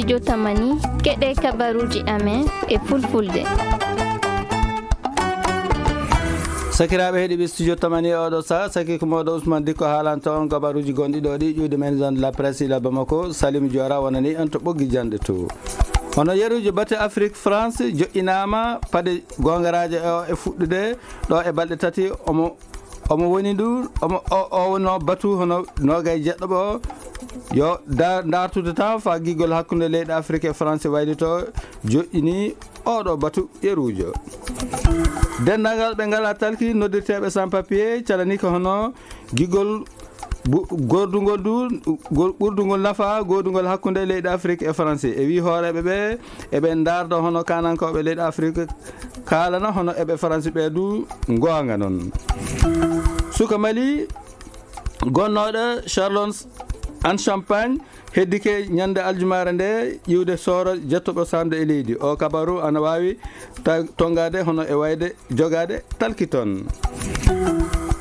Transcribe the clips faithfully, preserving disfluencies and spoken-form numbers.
Jotamani, keɗe kabaruji amen e fulfulde. Sakiraaɓe heɗiiɓe Studio Tamani e oɗo saha, saki ko mawɗo Ousmane Dikko haalanta on kabaruji gonɗi ɗo ɗi ƴuude men zone de la presse ila Bamako, Salim Diora wonani en to ɓoggi janɗe to. Hono yeruji batu Afrique, France joƴƴinaama paɗe goongaraaje o e fuɗɗude ɗo e balɗe tati omo, omo woni ndu, omo, o, o wonno batu hono noogay jeɗɗo ɓo. Yo da-, dartude tan fa giggol hakkunde leyɗe Afrique e France waylito joƴƴini oɗo batu yerujo. Denndaangal ɓe ngala talki noddirteeɓe sans papier calani ko hono giggol bu-, gordugol du, gol-, ɓurdugol nafa godugol hakkunde leyɗe Afrique e France. E wi hooreɓe ɓe, eɓe ndardo hono kanankooɓe leyɗe Afrique kaalana hono eɓe France ɓe du goonga non. Suka Mali gonnooɗo Châlons en Champagne heddike ñande aljumaare nde ƴiwde sooro jettoɓo samde e leydi. O kabaru ana waawi ta-, tongaade hono e wayde jogaade talki toon.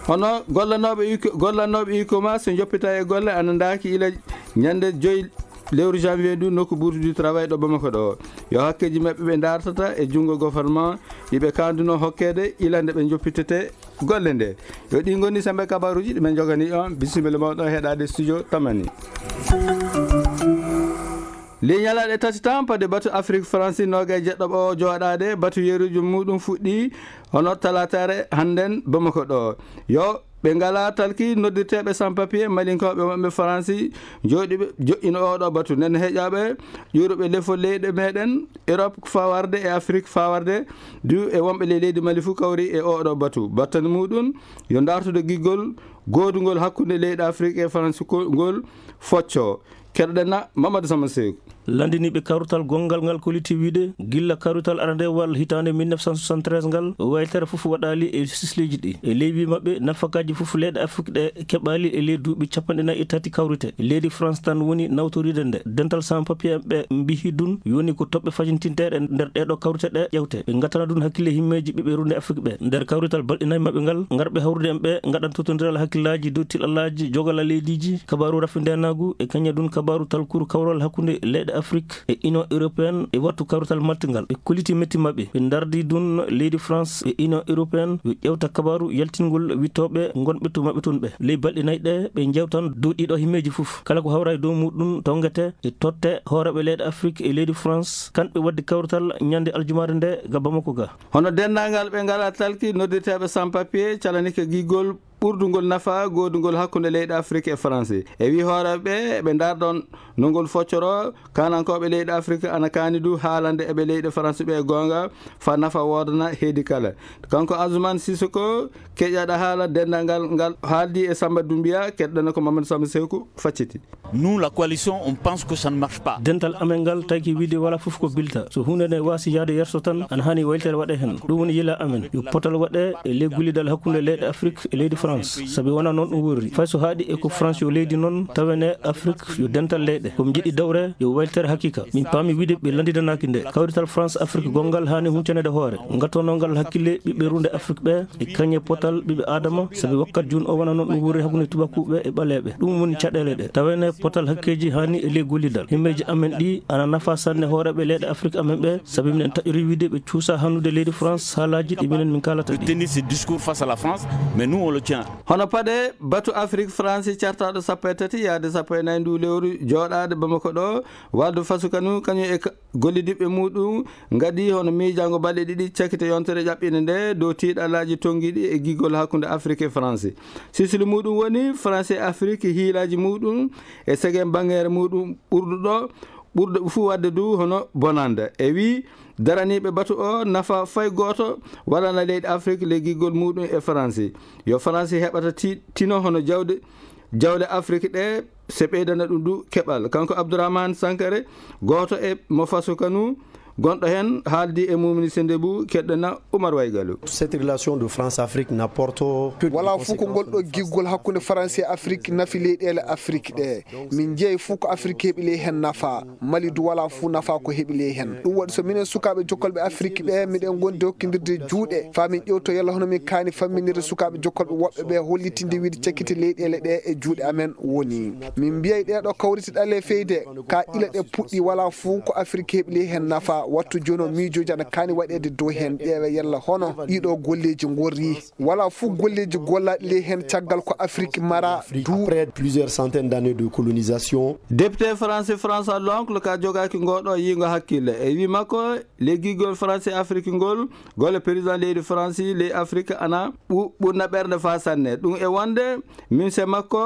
Hono gollanooɓe iko-, gollanooɓe ikoma so njoppita e golle ana ndaaki ila ñande joyi lewru janvier ndu nokku Bourse du Travail ɗo Bamako ɗo. Yo hakkeji maɓɓe ɓe dartata e junngo gouvernement iɓe kanduno hokkede ila nde ɓe njoppitete golle nde. Yo ɗi ngoni sembe kabaruji ɗi men jogani on. Bisimilla mawɗo heɗade Studio Tamani. Li ñalaɗe tati tan pade batu Afrique France nogay jeɗɗo ɓo joɗade batu yeruji muɗum fuɗɗi hono talatare hannden Bamako ɗo. Yo ɓe ngala talki noddirteɓe sans papier malinkoɓe wonɓe France joɗiɓe joɗɗino oɗo batu nden heƴaɓe ƴuruɓe lefol leyɗe meɗen Europe fawarde e Afrique fawarde du e wonɓe ley leydi Mali fu kawri e oɗo batu. Battane muɗum yo dartude giggol godugol hakkunde leyɗe Afrique e France ko-, ngol focco. Keɗoɗen na Mamadou Samba Seeku. Landiniiɓe kawrital gonngal ngal kolliti wiide gilla kawrital arandewal hitaande mille neuf cent soixante-treize ngal, waytere fof waɗaali e sisleeji ɗi. E ley wii maɓɓe, nafakaaji fof leyɗe Afrik ɗe keɓaali e ley duuɓi cappanɗe nayi e tati kawrite. Leydi France tan woni nawtoriide nde. Dental sans papier ɓe mbihi dun yoni ko toɓɓe facintinteeɗe nder ɗeeɗo kawrite ɗe ƴewte. Ɓe ngatana dun hakkille himmeeji ɓiɓɓe runde Afrik ɓe. Nder kawrital balɗe nayi maɓɓe ngal, ngarɓe hawrude en ɓe ngaɗan totondiral hakkillaaji dow tiɗallaaji jogala leydiiji, kabaaru rafindeenaagu e kañadun kabaaru talkuru kawral hakkunde leyɗe Afrik e Union Européenne e wattu kawrital maltingal. Ɓe kolliti metti maɓɓe. Ɓe ndardi dun leydi France e Union Européenne yo ƴewta kabaaru yaltingol wittooɓe ngonɓe to maɓɓe tun ɓe. Ley balɗe nayi ɗe, ɓe njewtan dow ɗiɗo himmeeji fof. Kala ko hawra e dow muɗum tongete e totte hooreeɓe leyɗe Afrik e leydi France, kanɓe waddi kawrital ñande aljumaare nde ga Bamako ga. Hono denndaangal ɓe ngala talki noddirteeɓe sans papier calanike giggol ɓurdugol nafa godugol hakkunde leyɗe Afrik e France. E wi hooreeɓe ɓe, ɓe ndardon no ngol foccoro kanankooɓe leyɗe Afrik ana kaani du haalande eɓe leyɗe France ɓe goonga fa nafa woodana heedi kala. Kanko Azumane Sissoko keƴaɗa haala denndaangal ngal haaldi e Samba Doumbia, keɗɗana ko Mamadou Samba Seeku facciti. Nous, la coalition, on pense que ça ne marche pas. Dental amen ngal tagi wiide wala fof ko bilta. So huunde nde waasi yahde yerso tan, ana haani waylitere waɗe heen. Ɗum woni yila amen. Yo potal waɗe e ley gullidal hakkunde leyɗe Afrik e leydi France. Sabi wona noon ɗum worri. Fay so haaɗi e ko France yo leydi noon, tawene Afrik yo dental leyɗe. Ko mi jiɗi dawre yo waylitere haqiqa. Min paami wiide ɓe lanndidanaaki nde. Kawrital France Afrik gonngal haani huncanede hoore. Ngattonongal hakkille ɓiɓɓe runde Afrik ɓe. E kañe potal ɓiɓɓe Aadama, sabi wakkat jun o wona noon ɗum wuuri hakkunde tubakuɓe e ɓaleeɓe. Ɗum woni caɗeele ɗe. Tawene potal hakkeeji haani e ley gollidal. Himmeeji amen ɗi ana nafa sanne hooreeɓe leyɗe Afrik amen ɓe, sabi minen taƴori wiide ɓe cuusa hannude leydi France haalaaji ɗi minen min kaalata De ɗi. Tenir ce discours face à la France, mais nous on le tient. Hono paɗe batu Afrik France cartaɗo sappo e tati yaade sappo e nayi ndu lewru joɗaade Bamako ɗo, Waldu Fasukanu kañum e ka-, gollidiɓɓe muɗum ngadi hono miijango balɗe ɗiɗi cakite yontere ƴaɓɓinde nde dow tiiɗalaaji tonngiiɗi e giggol hakkunde Afrik e France. Sisili muɗum woni France e Afrik hiilaaji muɗum e segen bangeere muɗum ɓurduɗo, ɓurɗo fuu waɗde du hono bonande. E wi daraniiɓe batu o nafa fay gooto waɗana leyɗe Afrik le giggol muɗum e France. Yo France heɓata ti-, tino hono jawde, jawle Afrik ɗe se ɓeydana ɗum du keɓal. Kanko Abdourahmane Sankare, gooto e mo Faso Kanu, Gonɗo heen haaldi e Mumini Sendebou, keɗɗena Oumar Waygalu. Cette relation de France-Afrique n'apporte que des conséquences. Wala fof ko ngol ɗo giggol hakkunde France e Afrique nafi leyɗeele Afrique ɗe. Min njeyi fof ko Afrique heɓi ley heen nafa. Mali du wala fof nafa ko heɓi ley heen. Ɗum waɗi so minen sukaaɓe jokkolɓe Afrique ɓe, miɗen ngondi hokkindirde juuɗe. Faa min ƴewto yalla hono min kaani famminirde sukaaɓe jokkolɓe woɓɓe ɓe hollitinde wiide cakkite leyɗeele ɗe e juuɗe amen woni. Min mbiyay ɗee ɗo kawrite ɗale feyde. Ka ila ɗe puɗɗi wala fof ko Afrique heɓi ley heen nafa. Wattu jooni o miijooji ana kaani waɗeede dow heen ƴeewe yalla hono ɗiɗo golleeji ngorri. Wala fof golleeji gollaaɗi ley heen caggal ko Afrique mara du. Après plusieurs centaines d'années de colonisation. Député français François Loncle ka jogaaki ngoo ɗo yiingo hakkille. E wii makko, ley giggol France Afrique ngol, golle président leydi France ley Afrique ana ɓu-, ɓurna ɓernde faa sanne. Ɗum e wonde, minse makko,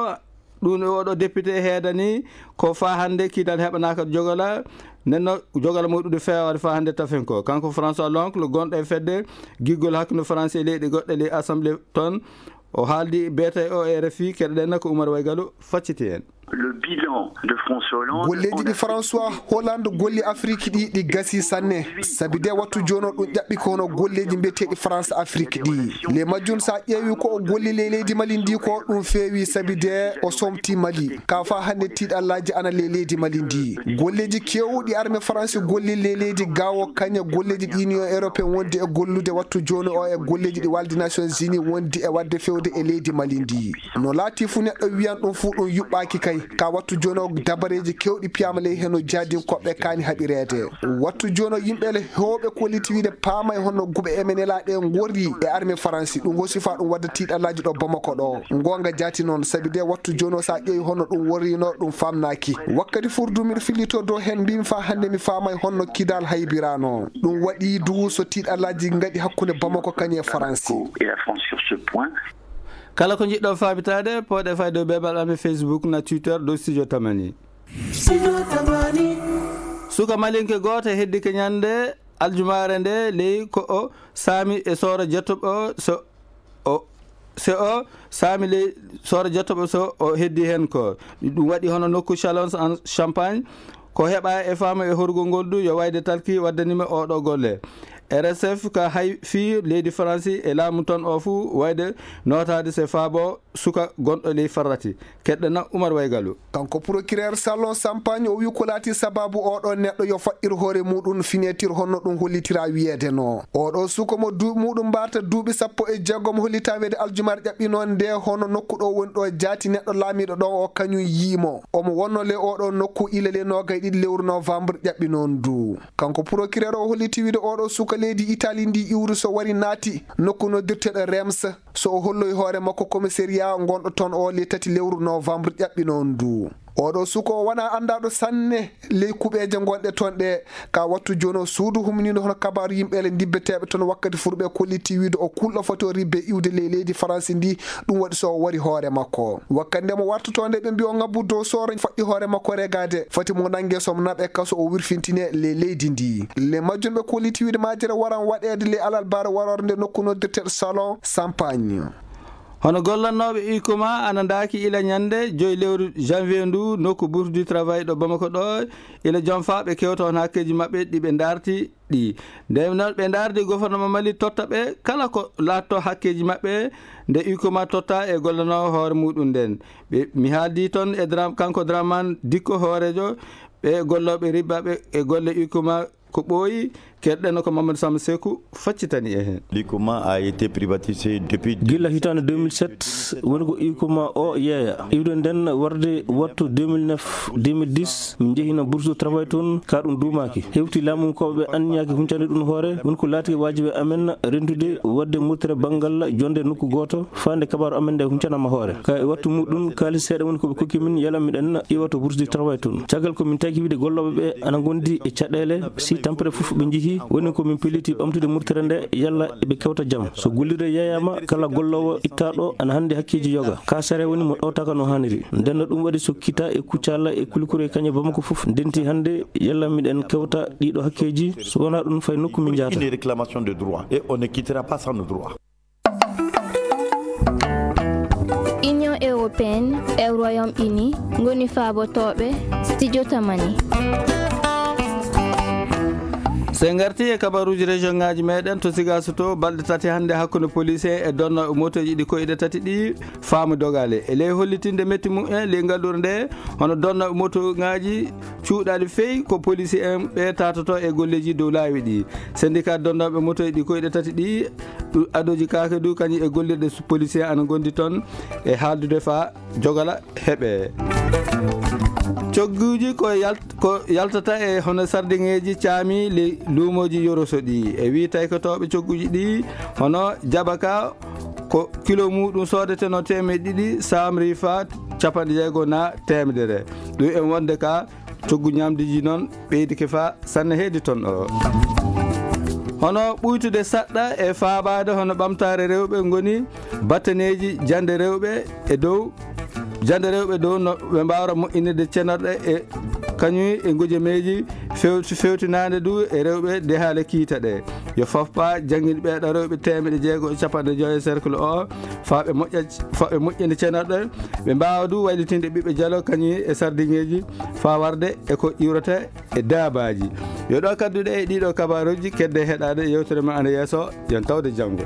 ɗum e oɗo député heedani, ko faa hannde kiital heɓanaaka jogola, nenno jogola mo ɗuɗi feewaade faa hannde tafen ko. Kanko François Loncle, gonɗo e fedde giggol hakkunde France e leyɗe goɗɗe ley assemblée toon, o haaldi beete o R F I, keɗoɗen ko Oumar Waygalu facciti heen. Le bilan de François Hollande. Golleeji ɗi François Hollande golli Afrique ɗi, ɗi gasi sanne. Sabi de wattu jooni o ɗum ƴaɓɓi ko hono golleeji mbiyeteeɗi France Afrique ɗi. Le majjum so a ƴeewi ko o golli ley leydi Mali ndi ko ɗum feewi sabi de o somti Mali. Ka faa hannde tiiɗallaaji ana ley leydi Mali ndi. Golleeji keewɗi armée France golli ley leydi gawo kañe golleeji ɗi Union Européenne wondi e gollude wattu jooni o e golleeji ɗi waldi Nations Unies wondi e waɗde fewde e leydi Mali ndi. No laati fu neɗɗo wiyan ɗum fu ɗum yuɓɓaaki kay. Ka wattu jooni o dabareeji keewɗi piyaama ley heno jaadinkoɓe kaani haɓireede. Wattu jooni o yimɓe le heewɓe kolliti wiide paamay honno guɓe M N L A ɗe ngorri e armée France. Ɗum hosi faa ɗum wadda tiiɗallaaji ɗo Bamako ɗo. Ngoonga jaati noon, sabi de wattu jooni o so a ƴeewi honno ɗum worrino ɗum faamnaaki. Wakkati furdu miɗo fillito dow heen mbimi faa hannde mi faamay honno Kidal haybirano. Ɗum waɗi du so tiiɗallaaji ngaɗi hakkunde Bamako kañum e France. Et la France sur ce point. Kala ko njiɗɗon faabitaade, pooɗe fayde dow beebal amen Facebook na Twitter dow Studio Tamani. Studio Tamani. Suka malinke gooto heddike ñande aljumaare nde ley ko o saami e sooro jettoɓo so o, so o saami ley sooro jettoɓo so o heddi heen ko. Ɗum waɗi hono nokku Chalons en Champagne. Ko heɓa e faama e horugol ngol du yo wayde talki waddanima oɗo golle. R S F ka hay fii leydi Faransi e laamu ton o fuu wayde nootaade se faabo suka gonɗo ley farrati. Keɗɗena Umar Waygalu. Kanko procureur Salon Sampagne o wi ko laati sababu oɗo neɗɗo yo faɗɗir hoore muɗum finetir honno ɗum hollitira wiyeede no. Oɗo suka mo duuɓi muɗum mbarta duuɓi sappo e jeegom hollita weede aljumar ƴaɓɓino nde hono nokku ɗo woni ɗo jaati neɗɗo laamiɗo ɗon o kañum yiimo. Omo wonno le oɗo nokku ila le noogay ɗiɗi lewru novembre ƴaɓɓino ndu. Kanko procureur o holliti wiide oɗo suka leydi Italie ndi iwri so wari naati nokku noddirteɗo Reims. So o holloyi hoore makko commissariat gonɗo toon o le tati lewru novembre ƴaɓɓino ndu. Oɗo suka o wona anndaɗo sanne ley kuɓeeje gonɗe toon ɗe. Ka wattu jooni o suudu humniino hono kabaaru yimɓe le ndibbeteeɓe toon wakkati furɓe kolliti wiide o kulɗo foti o ribbe iwde ley leydi Faransi ndi. Ɗum waɗi so o wari hoore makko. Wakkati nde mo wartotoo nde ɓe mbi o ngabbu dow sooro faɗɗi hoore makko regaade. Foti mo nannge somo naɓe kaso o wirfintine ley leydi ndi. Le majjum ɓe kolliti wiide majere waran waɗeede ley alarbaare waroore nde nokku noddirteeɗo Salon Sampagne. Hono gollannooɓe Ikoma ana ndaaki ila ñande joyi lewru janvier ndu nokku Bourse du Travail ɗo Bamako ɗo ila jonfa ɓe kewta on hakkeeji maɓɓe ɗi ɓe ndaarti ɗi. Nde noon ɓe ndaardi gouvernement Mali totta ɓe kala ko laatto hakkeeji maɓɓe nde Ikoma totta e gollanoowo hoore muɗum nden. Ɓe, mi haaldi toon e Dram-, kanko Dramane Dikko hooreejo ɓe gollooɓe ribbaɓe e golle Ikoma ko ɓooyi, keɗɗen ko Mamadou Samba Sekou faccitani e heen. L'Ikoma a été privatisé depuis gila hitaande deux mille sept, woni ko Ikoma o yeeya. Iwde nden warde wattu deux mille neuf, deux mille dix, min njehino bourse de travail toon, ka ɗum duumaaki. Hewti laamu ko ɓe anniyaaki huncande ɗum hoore, woni ko laati waajibi amen rentude wadde murtere banngal jonde nokku gooto, faande kabaaru amen nde huncanama hoore. Ka e wattu muɗum, kaalis seeɗa woni ko ɓe kokki min, yala miɗen iwa to bourse de travail toon. Caggal ko min taki wiide gollooɓe ɓe ana ngondi e caɗeele, si tampere fof ɓe njihi, woni ko min pelliti ɓamtude murtere nde, yalla ɓe kewta jam. So gollirde yeeyama, kala golloowo ittaaɗo ana hannde hakkeeji yoga. Ka sere woni mo ɗowtaka no haaniri. Nden no ɗum waɗi so kita e kuccala e kulikuro e kañe Bamako fof ndenti hannde, yalla miɗen kewta ɗiɗo hakkeeji, so wonaa ɗum fay nokku min njahata. Une réclamation de droit et on ne quittera pas sans nos droits. Union européenne e Royaume-Uni ngoni faabotooɓe Studio Tamani. So en ngartii e kabaruuji région ŋaaji meeɗen, to Sigaso to, balɗe tati hannde hakkunde police en e donnooɓe motoji ɗi koyɗe tati ɗi, faamu dogaale. E ley hollitinde metti mum en, ley ngalluure nde, hono donnooɓe moto ŋaaji cuuɗaali fey ko police en ɓe tatoto e golleeji dow laawi ɗi. Syndicat donnooɓe motoji ɗi koyɗe tati ɗi, ɗu-, Adoji Kake du, kañum e gollirɗe su-, police en ana ngondi toon e haaldude faa jogala heɓe. Cogguuji ko yalt-, ko yaltata e hono sardiŋeeji caami ley luumooji Yoroso ɗi. E wii taykotooɓe cogguuji ɗi, hono jabaka ko kilo muuɗum soodeteno teemeɗɗe ɗiɗi, samri faa capanɗe jeego naa teemedere. Ɗum en wonde ka coggu ñaamduuji noon ɓeydike faa sanne heedi toon o. Hono ɓuytude saɗɗa e faabaade hono ɓamtaare rewɓe ngoni battaneeji jannde rewɓe e dow, jannde rewɓe dow no ɓe mbaawra moƴƴinirde cenorɗe e kañum e ngojameeji few-, fewtinaande du e rewɓe dehaale kiita ɗe. Yo fofpa janngin ɓeeɗo rewɓe teemeɗɗe jeego e capanɗe joy e cercle o, faa ɓe moƴƴa, faa ɓe moƴƴina cenorɗe, ɓe mbaawa du waylitinde ɓiɓɓe jalo kañum e sardiŋeeji, faa warde e ko iwrata e daabaaji. Yo ɗo kadduɗe e ɗiɗo kabaaruuji, kedde heɗaade yewtere ma ana yeeso, yon tawde janngo.